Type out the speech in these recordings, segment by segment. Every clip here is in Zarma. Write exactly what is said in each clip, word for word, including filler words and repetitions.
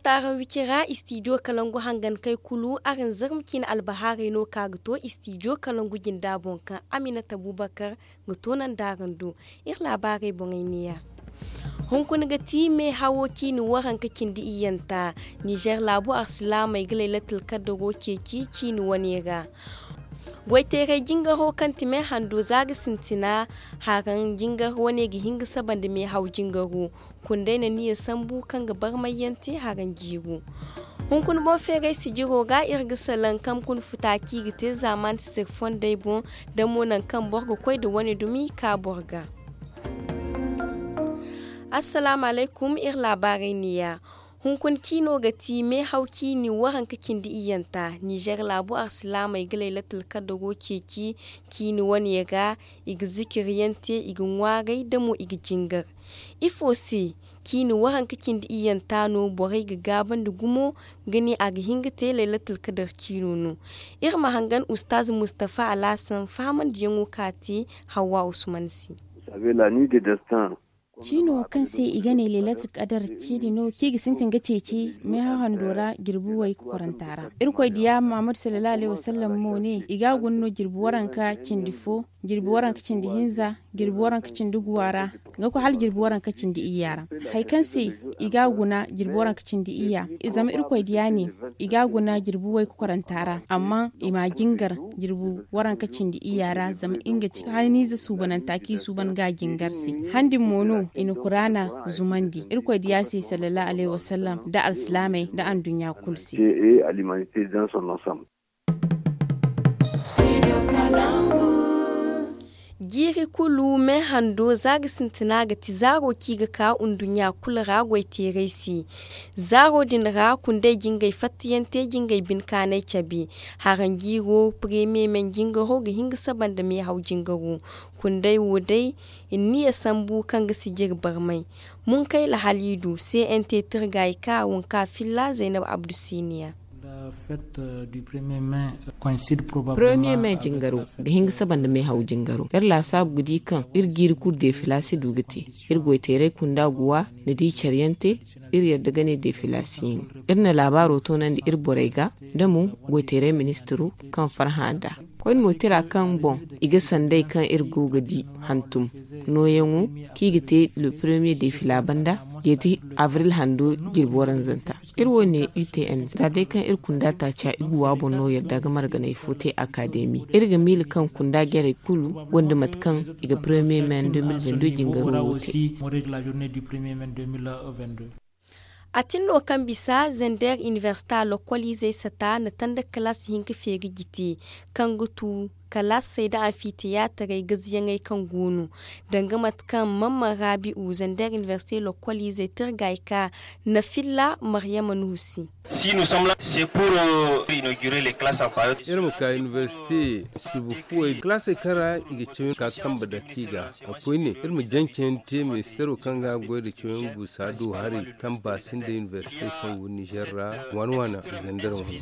Taaraŋ wicira istidiyo kalangu hangankey kulu araŋ zarma ciine albahaarey no ka ga to istidiyo kalangu jinda boŋ kaŋ aminata bubakar ga toonandi araŋ do. Iri laabaarey boŋey neeya. Hunkuna ga ti meehawo ciine waranka cindi iyyanta. Nizer laabu arsilaamey ga laylatul kadaro ceeci ciine wane ra. Goyteeray jingaro kaŋ ti meehando za ga sintina haraŋ jingar wane ga hin ga saba nda meehaw jingaro. Kundey na niya sambu kaŋ ga barmayyaŋ te haraŋ jiiro. Hunkuna boŋ feeray sijiro ga iri ga salaŋ kaŋ kuna futa kaŋ i ga te zaamaani sisir fondey boŋ da mo nangu kaŋ boro ga koy nda wane dumi ka boro ga. Assalaamu alaykum, iri laabaarey neeya. Hunkuna ciino ga ti meehaw ciini waranka cindi iyyanta. Nizer laabu arsilaamey ga laylatul kadaro ceeci ciini wane ra. I ga zikiryaŋ te, i ga ŋwaaray da mo i ga jingar. Ifo se ciini waranka cindi iyyanta no borey ga gaabandi gumo ga ne a ga hin ga te laylatul kadar ciino no? Iri ma hangan ustaaz mustafa alhassan fahamandiyaŋo ka te hawwa usman se. Ciino kaŋ se i ga ne laylatul kadar ciini no kaŋ i ga sintin ga ceeci meehaw hando ra jirbi way kokoranta ra. Irkoy diya muhammadu sallallahu alayhi wasallam mo ne i ga a guna no jirbi waranka cindi fo, jirbi waranka cindi hinza, jirbi waranka cindi guwa ra, ga koy hala jirbi waranka cindi iyya ra. Hari kaŋ se i ga a guna jirbi waranka cindi iyya, zama irkoy diya ne i ga a guna jirbi way kokoranta ra, amma i ma a jingar jirbi waranka cindi iyya ra, zama nga ci haniize suubananta kaŋ i suuban ga a jingar se. Handi mo no i na kuraana zumandi irkoy diya se sallallahu alayhi wasallam nda alsilaamey nda anduɲɲa kulu se. Jiiri kulu meehando za ga sintina ga ti zaaro kaŋ i ga ka nduɲɲa kulu ra goyteeray se. Zaaro din ra kundey jingay fattayaŋ te jingay binkaanay cabe. Haraŋ jiiro premiye men jingaro ga hin ga saba nda meehaw jingaro. Kundey wo day i na niya sambu kaŋ ga sijiri barmay. Munkayla haliidu cnt tirgay ka wanka filla zaynab abdu siniya. Premiye me jingaro ga hin ga saba nda meehaw jingaro iri laasaabu ga di kaŋ iri jiiri kulu defila si du ga te. Iri goyteeray kunda guwa na di care yaŋ te. Iri yadda ga ne defila si hin. Iri na laabaaro toonandi iri borey ga da mo goyteeray ministiro kaŋ farhã nd'a. Koyne mo tira kaŋ boŋ i ga sanday kaŋ iri go ga di hantum nooyaŋo kaŋ i ga te le premiye defila banda jeeti abril hando jirbi waranzanta. Iri wo ne utn za day kaŋ iri kunda taaca iguwa boŋ no yadda ga marganay fo te akademi iri ga miila kaŋ kunda jarey kulu gonda mate kaŋ i ga premiye men deux mille vingt deux jingaro wo te. A tin no kaŋ bisa zander inibersita lokkoliizey sata na tanda kalaas hinka feeri jite kaŋ ga tu kalaasey nda anfitiyaatarey gaziyaŋey kaŋ go no. Danga mate kaŋ mamman raabi'u zander inibersite lokkoliizey tirgay ka na filla maryama nuhu se. Iri ma ka inibersite subu fuwey kalaasey kaŋ ra i ga cawyaŋ ka kambe dake i ga. A koyne iri ma jancayaŋ te ministeero kaŋ ga goy nda cawyaŋ guusa do haray kaŋ ba sinda inibersite kaŋ go nizer ra waana waana zander wane.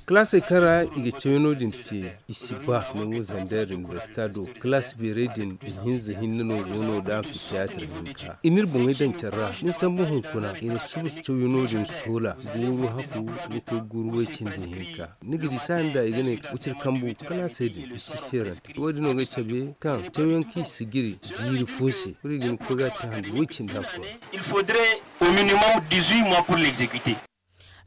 Kalaasey kaŋ ra i ga cawyaŋo din te i si ba nango zander inibersita do kalaas beerey din ihinza hinne no go no nda anfitiyaatar hinka i n'iri boŋey daŋ care ra. Ni sambu hunkuna i na suba cawyaŋo din soola guuru haku ga koy guuru way cindi hinka. Ni ga di saaya nda i ga ne wiciri kambu kalaasey din i si feerante wo- din no ga ay cabe kaŋ cawyaŋ kaŋ i si giri jiiri fo se kulu i ga hin ga koy ga a te handu way cindi afo ra.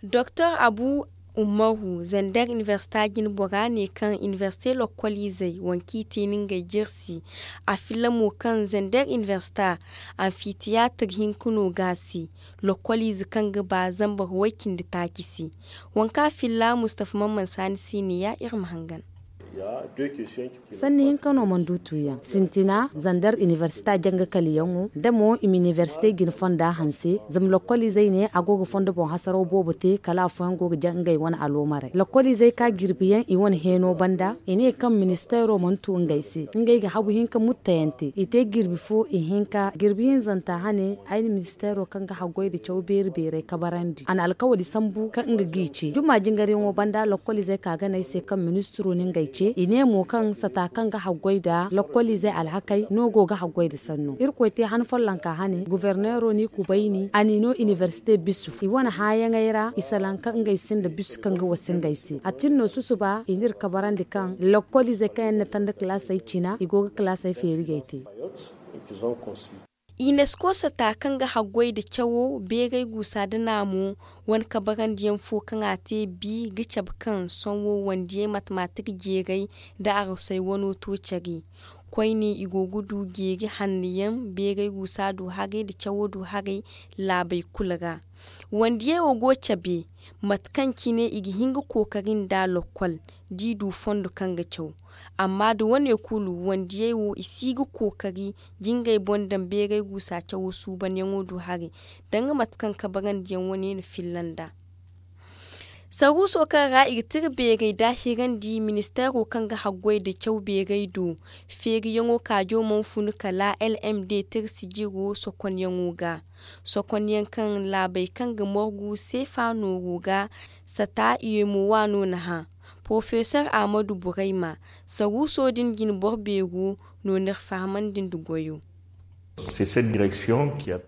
Doktor abu ummaru zander inibersita jinbora ne kaŋ inibersite lokkoliizey waŋ kaŋ i te ni ngey jirsi. A filla mo kaŋ zander inibersita anfitiyaatar hinka no ga a se. Lokkoliize kaŋ ga ba zambar way-cindi taaci se. Waŋ kaŋ a filla mustafa mamman saani siiniya iri ma hangan. Sanni hinka no mana du tuuyaŋ sintina zander inibersita janga kaliyaŋo da mo i ma inibersite jine fonda hanse. Zama lokkoliizey ne a go ga fondo boŋ hasaraw boobo te kala afooyaŋ go ga jaŋ ngey wane aloomarey lokkoliizey ka jirbiyaŋ i wane heeno banda i ne kaŋ ministeero mana tu ngey se ngey ga habu hinka muttayaŋ te i te jirbi fo ihinka jirbi hinzanta hane ay na ministeero kaŋ ga haggoy nda caw beeri beerey kabarandi a na alkawali sambu kaŋ nga g'i ce juma jingaryaŋo banda lokkoliizey ka gana ay se kaŋ ministiro na ngey ce. I ne mo kaŋ sata kaŋ ga haggoy nda lokkoliizey alhakey no go ga haggoy nda sanno. Irkoy te han follonka hane goforneero n'i kubayni a n'i no inibersite bisu i wane hããyaŋey ra i salaŋ ka ngey sinda bisu kaŋ ga wasa ngey se a tin no susuba i n'iri kabarandi kaŋ lokkoliizey kaŋ yaŋ na tanda kalaasey cina i go ga kalaasey feeri g'ey te. Inesko sata kaŋ ga haggoy nda cawo beeray guusa nda naamo wane kabarandiyaŋ fo kaŋ a te bi ga cabe kaŋ sohõ wandiyey matematik jeeray nda arosey wano to care. Koyne i go ga du jeeri hanno yaŋ beeray guusa du haray nda cawo du haray laabey kulu ra. Wandiyey wo go cabe mate kaŋ cine i ga hin ga kookari nda lokkol da i du fondo kaŋ ga caw. Amma nda wane kulu wandiyey wo i si ga kookari jingay boŋ daŋ beeray guusa cawo suubanyaŋo do haray danga mate kaŋ kabarandiyaŋ wane na filla nd'a. Saruuso kaŋ ra i ga tira beeray da a hirandi ministeero kaŋ ga haggoy nda caw beeray do feeriyaŋo kaajo mana funu kala lmd tira sijiro sokonyaŋo ga. Sokonyaŋ kaŋ laabey kaŋ ga morgu seefa nooro ga sata i ye mo waano na hã. Porofesor ahmadu burayma saruuso din jine boro beero no n'iri fahamandi nda goyo.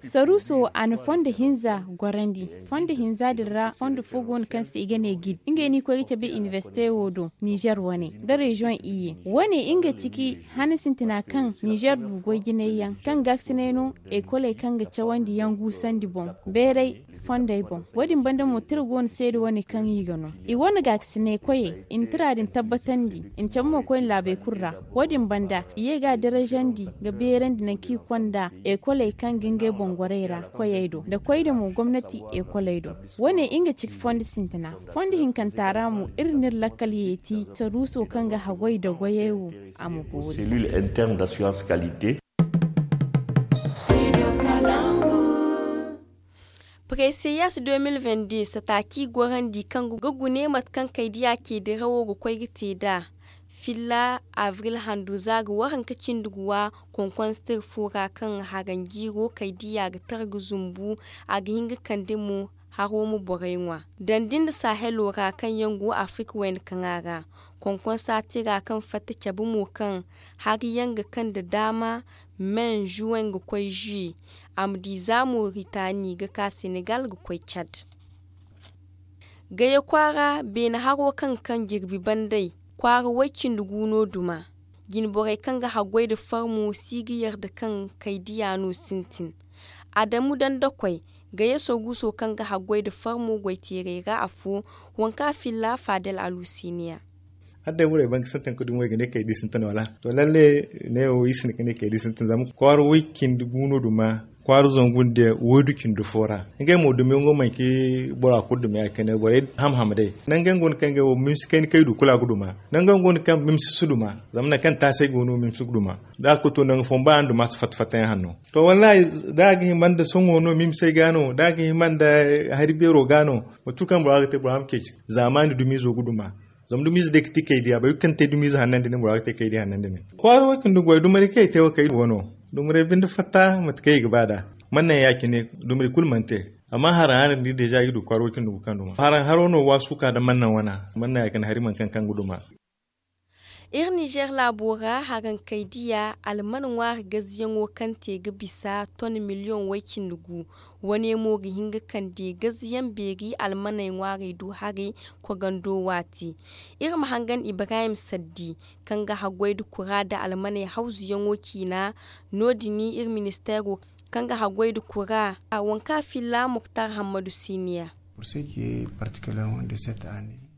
Saruuso a na fondo hinza gorandi. Fondo hinza din ra fondo fo go no kaŋ se i ga ne gid ngey no i koy ga cabe inibersite wo do nizer wane nda reziyoŋ iyye wane nga ciki han sintina kaŋ nizer du goy jinay yaŋ kaŋ gaakasinay no ekoley kaŋ ga cawandi yaŋ guusandi boŋ beeray fondey boŋ. Wo- din banda mo tira go no seeda wane kaŋ i ga no i wane gaakasinay koyey i na tira din tabbatandi i na cabe mo koyne laabey kulu ra. Wo- din banda i ye ga a darajandi ga beerandi nangu kaŋ i konda ekoley kaŋ ga ngey boŋ gorey ra koyey do nda koyne mo gomnati ekoley do. Wo- ne nga ciki fondo sintina fondo hinkanta ra mo iri n'iri lakkal yeeti saruuso kaŋ ga haggoy nda goyey wo a ma boori. Preseyas deux mille vingt-deux sata kaŋ i gorandi kaŋ ga gune mate kaŋ kaydiya ce dirawo ga koy ga te nd'a. Filla abril handu za ga waranka cindi guwa konkonstiri fo ra kaŋ haranjiiro kaydiya ga tara ga zumbu a ga hin ga kande mo haro ma borey ŋwa. Dandi nda sahelo ra kaŋ yaŋ go afirika wayna kaŋa ra konkonsa tira kaŋ fatta cabe mo kaŋ hari yaŋ ga kande daama men zuwen ga koy zuye a ma di za moritani ga ka senegal ga koy cad. Gaya kwaara beene haro kaŋ ga kaŋ jirbi bandey kwaara way-cindi-gu no duma. Jine borey kaŋ ga haggoy nda farmo si ga yarda kaŋ kaydiya no sintin. Adamu dandakoy gaya saruuso kaŋ ga haggoy nda farmo goy-teerey ra afo waŋ kaŋ a filla fadel alusiniya. Hala day borey ban ga sintin ga dumi wo i ga ne kaydi sintin wala to lalle neewo iri sinda ga ne kaydi sintin zama kwaara way-cindi-gu no duma kwaara zangu nda waydu cindi fo ra. Ngey mo dumiyaŋo manci bora kulu dumi ya- cine borey ham-ham day. Nangu yaŋ go no kaŋ ngey wo mimsi kayna kaŋ i du kulu a ga duma. Nangu yaŋ go no kaŋ mimsi si duma zama nangu kaŋ taasay go no mimsi ga duma. Da a ga koy to nangu fooyaŋ ba araŋ duma si fatta-fatta yaŋ hanno. To wallahi, da a ga hima nda sohõ no mimsey ga no da a ga hima nda hari beero ga no. Mate kulu kaŋ bora ga te bora ma ceeci zaamaani dumiizo ga duma. Zama dumiize day ga ti kaydiya boro kulu kaŋ te dumiize hanno nda nin bora ga te kaydiya hanno nda nin. Kwaara wo cindi goy dumari kaŋ i te wo kaydiya wano. Dumaray binde fatta mate kaŋ i ga ba nd'a. Mana naŋ ya- cine dumari kulu mana te. Amma haraŋ haraŋ da i deeza i ga du kwaara wo cindi gu kaŋ duma haraŋ haro no waasu ka nda mana naŋ wana. Mana naŋ ya- cine hari mana kaŋ kaŋ ga duma. Iri nizer laabo ra haraŋ kaydiya alman ŋwaari gaziyaŋo kaŋ te ga bisa ton miliyoŋ way- cindi gu. Wane mo ga hin ga kande gaziyaŋ beeri almaney ŋwaarey du haray kogando waati. Iri ma hangan ibrahim saddi kaŋ ga haggoy nda kura nda almaney hawzuyaŋo ciina. No- din iri ministeero kaŋ ga haggoy nda kura waŋ kaŋ a filla muktar hammadu siniya.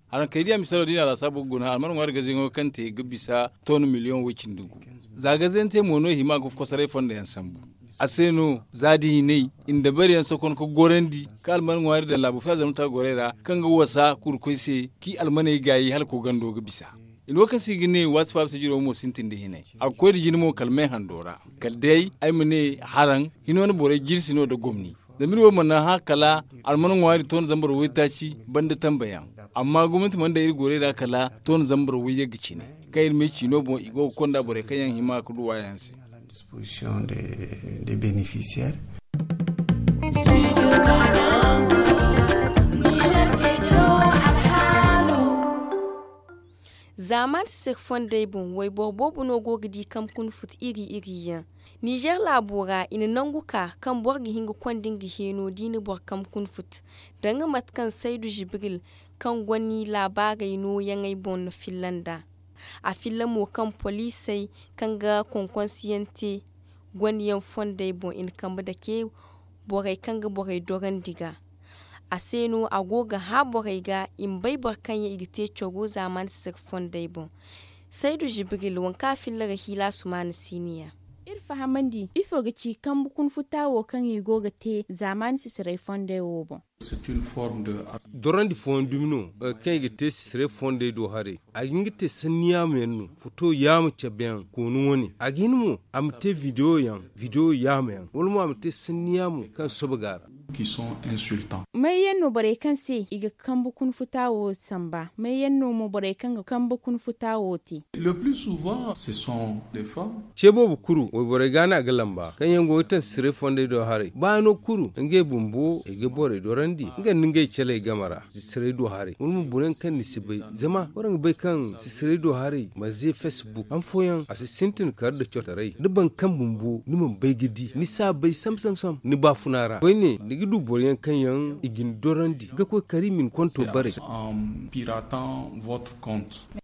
Haraŋ kaydiya misalo da i na a laasaabu ga guna alman ŋwaari gaziyaŋo kaŋ te ga bisa ton miliyoŋ way- cindi gu. Za gaziyaŋ te mo no i hima ga kosoray fondo yaŋ sambu. A se no za da i ne i na dabari yaŋ sokon ga gorandi ka alman ŋwaari daŋ laabu fiya zama ta gorey ra kaŋ ga wasa kurkoy se kaŋ i almaney gaayi hala kogando ga bisa. I ne wo kaŋ se i ga ne waati fo a bisa jiro mo sintin da hinay a ga koy nda jine mo kala me hando ra. Kala day ay ma ne haraŋ hino na borey jirsi no nda gomni. Zama iri wo mana hã kala alman ŋwaari ton zambar waytaaci banda tambayaŋ. Amma gomnati mana daŋ iri gorey ra kala ton zambar wayyagga cine kaŋ iri ma ay ciino boŋ i go ga konda borey kaŋ yaŋ hima ga du waayaŋ se. Zaamaani sisiri fondey boŋ wayboro boobo no go ga di kambe kuna futu iri iri yaŋ. Nizer laabo ra i na nangu ka kaŋ boro ga hin ga konda nga heeno da i na boro kambe kuna futu, danga mate kaŋ saydu jibril kaŋ goni laabaarey nooyaŋey boŋ na filla nd'a. A filla mo kaŋ poliisey kaŋ ga konkonsiyaŋ te goniyaŋ fondey boŋ i na kambe dake borey kaŋ ga borey dorandi ga. A se no a go ga hã borey ga i ma bay boro kaŋ yaŋ i ga te coro zaamaani sisiri fondey boŋ. Saydu jibril waŋ kaŋ a filla ra hiila sumaana siiniya. Iri fahamandi ifo ga ci kambe kuna futa wo kaŋ i go ga te zaamaani sisirey fondey wo boŋ. Dorandi fooyaŋ dumi no, kaŋ i ga te sisirey fondey do haray. A ga hin ga te sanni yaama yaŋ no, foto yaama cabe yaŋ koonu wane a ga hin mo a ma te bidiyo yaŋ, bidiyo yaama yaŋ wala mo a ma te sanni yaamo kaŋ soba ga a ra. May yaŋ no borey kaŋ se i ga kambe kuna futa wo samba may yaŋ no mo borey kaŋ ga kambe kuna futa wo te? Ce boobo kulu wayborey ga no a ga lamba kaŋ yaŋ go ga taŋ sisirey fondey do haray baano kulu ngey bumbo i ga borey dorandi nga nda ngey caley game ra. Sisirey do haray wala mo boro yaŋ kaŋ ni si bay zama waraŋ ga bay kaŋ sisirey do haray ma ze facebook han fooyaŋ a si sintin kar nda cotaray da boro kaŋ bumbo ni mana bay ga di ni si a bay sam sam sam ni baafuna ra koyne ni ga du boro yaŋ kaŋ yaŋ i ga ni dorandi ga koy kari ma ni konto bare.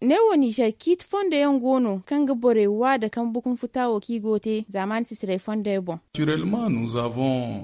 Ne wo nizer ciiti fondo yaŋ go no kaŋ ga borey wa nda kambe kuna futa wo kaŋ i go ga te zaamaani sisirey fondey boŋ.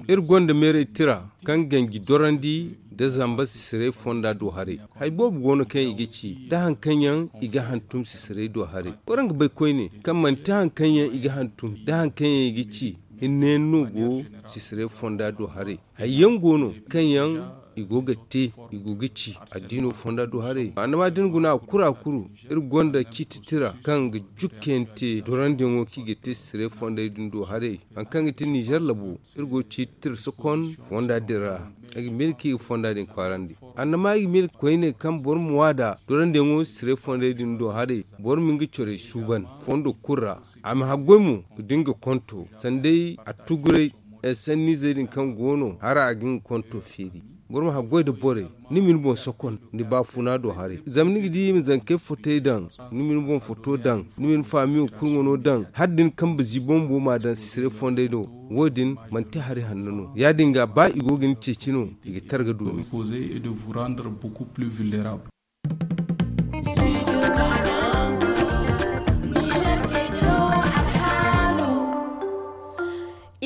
Iri gonda meeray tira kaŋ ganji dorandi nda zamba sisirey fonda do haray. Hari boobo go no kaŋ i ga ci nda hari kaŋ yaŋ i ga hantum sisirey do haray. Waraŋ ga bay koyne kaŋ manti hari kaŋ yaŋ i ga hantum nda hari kaŋ yaŋ i ga ci hinne yaŋ no go sisirey fonda do haray. Hari yaŋ go no kaŋ yaŋ i go ga te i go ga ci addiino fonda do haray annama da ni guna a kuru a kuru. Iri gonda ciiti tira kaŋ ga jukkayaŋ te dorandiyaŋo kaŋ i ga te sisirey fondey din do haray. Hari kaŋ ga ti nizer labo iri go ga ciiti tira sokon fonda din ra. Ay ga miila kaŋ i ga fonda din kwaarandi annama ay ga miila koyne kaŋ boro ma waada dorandiyaŋo sisirey fondey din do haray. Boro ma nga corey suuban fondo kulu ra a ma haggoy mo ga dinga konto sanday a tuguray. Sanniizey din kaŋ go no hara a ga nga konto feeri. Boro ma haggoy nda borey ni ma ni boŋ sokon ni baafuna do haray zama ni ga di i ma zankey fotey daŋ, ni ma ni boŋ foto daŋ, ni ma ni faamiyo kurŋo no daŋ hala da ni kambe ziibo bumbo m'a daŋ sisirey fondey do. Wo- din manti hari hanno no ya- din ga ba i go ga ni ceeci no i ga tara ga du ni.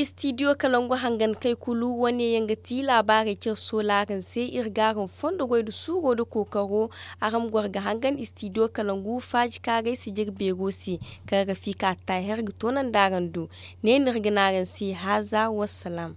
Istidiyo kalangu hangan kay kulu wane yaŋ ga ti laabaarey care soolaaran se iri ga araŋ fondo goy nda suuro nda kookaro. Araŋ ma goro ga hangan istidiyo kalangu faaji kaaray si jire beero se kaŋ ga fi ka taahi hari ga toonandi araŋ do. Ne no iri ga ne araŋ se haaza wassalaam.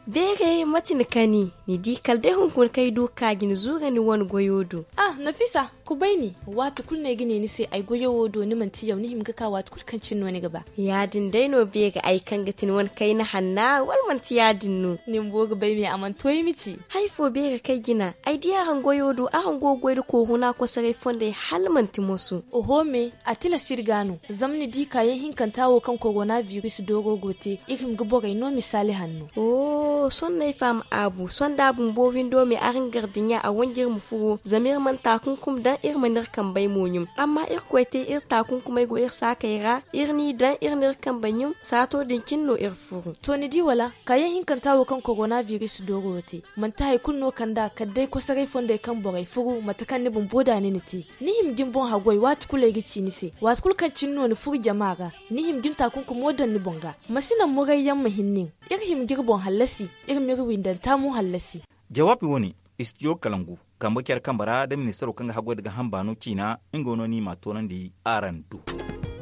Beere mate ni kani? Ni di kala day hunkuna kaŋ ay du ga ka ga ni zuura ni wane goyo do. Ah nafisa, kubay ni. Waati kulu no ay ga ne ni se ay goyo wo do ni manti yaw ni hima ga ka waati kulu kaŋ cine no ni ga ba. Ya- din day no beere ay kaŋ ga ti ni wane kayna hanna wala manti ya- din no? Ni bumbo ga bay me a mana to ay ma ci. Hari fo beere kaŋ ay jina ay di araŋ goyo do araŋ go ga goy nda kooruna kosoray fondey hala manti moso. Oho me, a tilas iri ga no zama ni di kaayaŋ hinkanta wo kaŋ korona biris dooro go te iri hima ga borey no misaali hanno. Oho sohõ no ay faham aabu sohõ da a bumbo windo me araŋ gardiɲa a wanji iri ma furo zama iri mana taakunkum daŋ iri mana iri kambey mo ɲum. Amma irkoy te iri taakunkumey go iri saakey ra iri n'i daŋ iri n'iri kambey ɲum saato din cine no iri furu. To ni di wala kaayaŋ hinkanta wo kaŋ korona biris dooro wo te manti hari kulu no kand'a kala day kosoray fondey kaŋ borey furu mate kaŋ ni bumbo da ni na te. Ni hima ga ni boŋ haggoy waati kulu ay ga ci ni se waati kulu kaŋ cine no ni furu jama ra. Ni hima ga ni taakunkumo daŋ ni boŋ ga. Ma si naŋ murayyaŋ ma hin nin. Iri hima ga iri boŋ hallasi iri ma iri windanta mo hallasi. Jawaabi wane istidiyo kalangu kambe care kambe ra da ministaro kaŋ ga haggoy nda gaaham baano ciina nga no no i m'a toonandi araŋ do.